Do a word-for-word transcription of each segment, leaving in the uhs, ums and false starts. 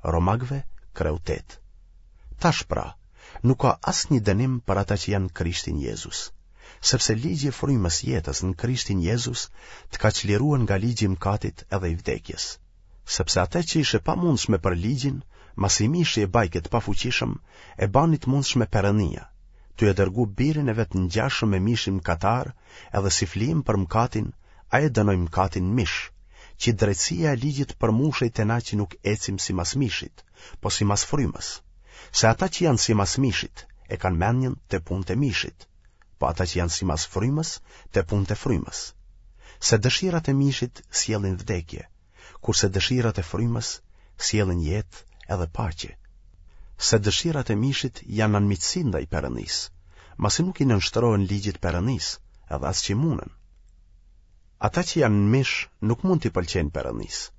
Romakëve, kreu tetë. Tash pra, nuk ka asnjë dënim për ata që janë në Krishtin Jezus, sepse ligji i frymës jetës në Krishtin Jezus të ka çlirue nga ligji i mëkatit edhe i vdekjes. Sepse atë që ish e pamundshme për ligjin, masi mishi e bajke të pafuqishëm, e bani të mundshme Perënia, tuj e dërgu birin e vet ngjashëm me mishin mëkatar edhe si flijim për mëkatin, ai e dënoi mëkatin në mish, që drejtësia e ligjit të përmushej te na që nuk ecim simas mishit, po simas frymës. Se ata që janë simas mishit, e kanë mendjen te punët e mishit, po ata që janë simas frymës, te punët e frymës. Se dëshirat e mishit sjellin vdekje, kurse dëshirat e frymës sjellin jetë edhe paqe. Se dëshirat e mishit janë anmiqësi ndaj Perëndisë, masi nuk i nënshtrohen ligjit Perëndisë, edhe as që munden. Ata që janë në mish nuk mund t'i pëlqejnë Perëndisë.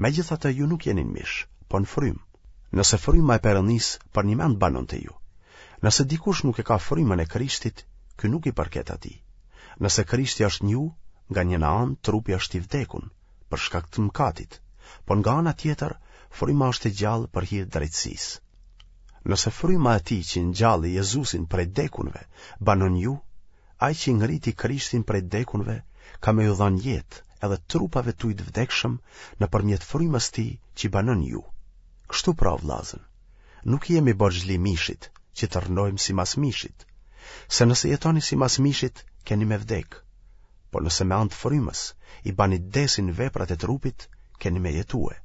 Megjithatë ju nuk jeni në mish, po në frymë. Nëse fryma e Perëndisë përnjëmend banon te ju. Nëse dikush nuk e ka frymën e Krishtit, ky nuk i përket atij. Nëse Krishti është në ju, nga njëna anë trupi është i vdekun, për shkak të mëkatit, po nga ana tjetër fryma është e gjallë për hir drejtësisë. Nëse fryma e atij që ngjalli Jezusin prej dekunve banon ju, Ai që ngriti Krishtin prej dekunve ka me ju dhanë jetë edhe trupave tuj të vdekshëm nëpërmjet frymës tij që banon ju. Kështu pra, vllazën, nuk i jemi borxhli mishit, që të rrnojmë simas mishit. Se nëse jetoni simas mishit, keni me vdekë. Po nëse me anë të frymës i bani t'desin veprat e trupit, keni me jetue.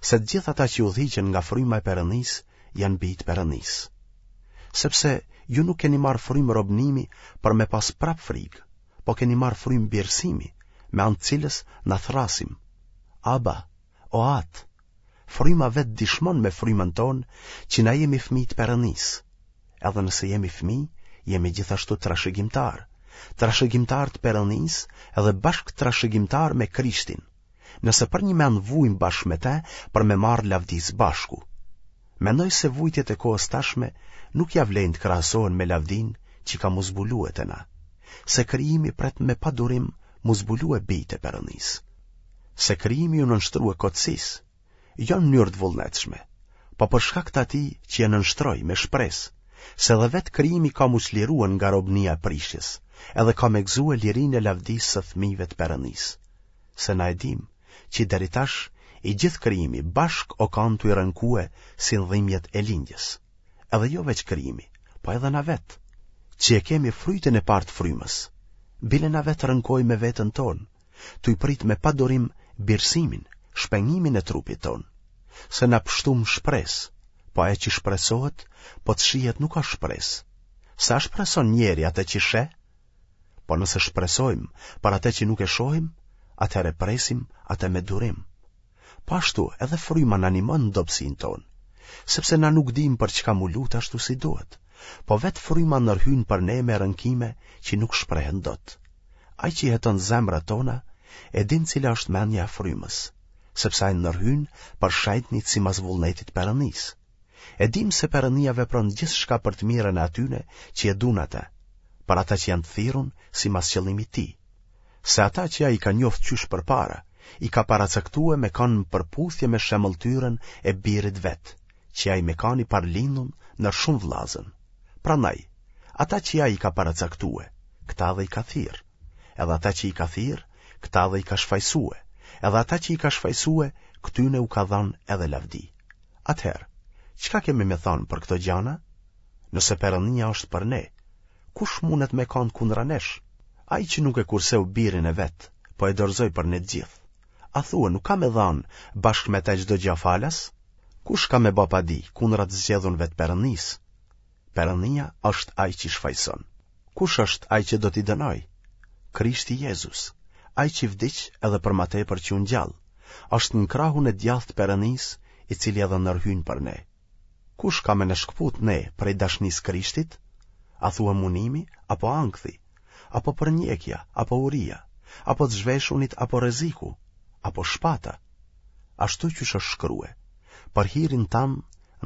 Se të gjithë ata që udhëhiqen nga fryma e Perëndisë janë bij të Perëndisë. Sepse ju nuk keni marrë frymë robnimi për me pas prapë frikë, po keni marrë frymë birësimi, me anë të cilës na thërrasim. Aba, o Atë, fryma vetë dishmon me frymën tonë që na jemi fëmijë të Perëndisë. Edhe nëse jemi fëmijë, jemi gjithashtu trashëgimtarë, trashëgimtarë të Perëndisë edhe bashkëtrashëgimtarë me Krishtin, nëse përnjëmend vujmë bashkë me te për me marrë lavdi së bashku. Mendoj se vujtjet e kohës tashme nuk ia vlejnë të krahasohen me lavdinë që ka m'u zbulue te na, se krijimi pret me padurim m'u zbulue bijtë e Perëndisë. Se krijimi iu nënshtrue kotësisë, jo në mënyrë të vullnetshme, po për shkak të atij që e nënshtroi me shpresë, se edhe vetë krijimi ka m'u çlirue nga robnia e prishjes, edhe ka me gëzue lirinë e lavdisë së fëmijëve të Perëndisë. Se na e dimë, që deri tash i gjithë krijimi bashkë o kanë tuj rënkue si në dhimbjet e lindjes. Edhe jo veç krijimi, po edhe na vetë, që e kemi frytin e parë të frymës, bile na vetë rënkojmë me veten tonë, tuj prit me padurim birësimin, shpengimin e trupit tonë. Se na pështum shpresë, po ajo që shpresohet, po të shihet nuk asht shpresë. Se a shpreson njeri atë që sheh? Po nëse shpresojmë për atë që nuk e shohim, atëherë presim atë me durim. Po ashtu edhe fryma na ndihmon në dobësinë tonë, sepse na nuk dimë për çka m'u lut ashtu si duhet, po vetë fryma ndërhyn për ne me rënkime që nuk shprehen dot. Ai që heton zemrat tona, e din cila është mendja e frymës, sepse ai ndërhyn për shenjtnit simas vullnetit të Perëndisë. E dimë se Perëndia vepron gjithçka për të mirën e atyne që e duan atë, për ata që janë të thirrun simas qëllimit tij. Se ata që ai i ka njoftë qysh përpara, i ka paracaktue me kanë në përputhje me shemëlltyrën e birit vet, që ai me kanë i parëlindun ndër shumë vëllazën. Prandaj, ata që ai i ka paracaktue, këta edhe i ka thirrë. Edhe ata që i ka thirrë, këta edhe i ka shfajsue. Edhe ata që i ka shfajsue, këtyne u ka dhanë edhe lavdi. Atëherë, çka kemi me thanë për këto gjana? Nëse Perëndia është për ne, kush mundet me kanë kundra nesh? Ai që nuk e kurseu birin e vet, po e dorëzoi për ne të gjithë. A thua nuk ka me dhanë bashkë me të çdo gjë falas? Kush ka me ba padi kundra të zgjedhunve të Perëndisë? Perëndia është ai që shfajson. Kush është ai që do t'i dënojë? Krishti Jezus, ai që vdiq edhe për ma tepër që u ngjall, është në krahun e djathtë të Perëndisë, i cili edhe ndërhyn për ne. Kush ka me na shkëput ne prej dashnisë Krishtit? A thua munimi, apo ankthi, apo përndjekja, apo uria, apo të zhveshunit, apo rreziku, apo shpata? Ashtu qysh është shkrue, për hirin tand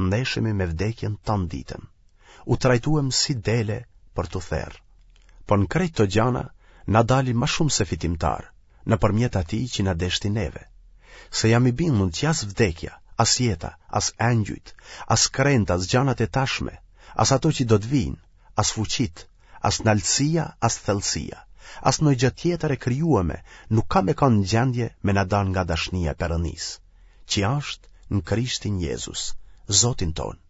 ndeshemi me vdekjen tanë ditën. U trajtuem si dele për t'u therë. Po në krejt këto gjana na dalim ma shumë se fitimtarë, nëpërmjet atij që na deshti neve. Se jam i bindun që as vdekja, as jeta, as engjujt, as krentë, as gjanat e tashme, as ato që do të vijnë, as fuqitë, as naltësia, as thellësia, as ndonjë gjë tjetër e krijueme nuk ka me kanë në gjendje me na da nga dashnia e Perëndisë, që është në Krishtin Jezus, Zotin tonë.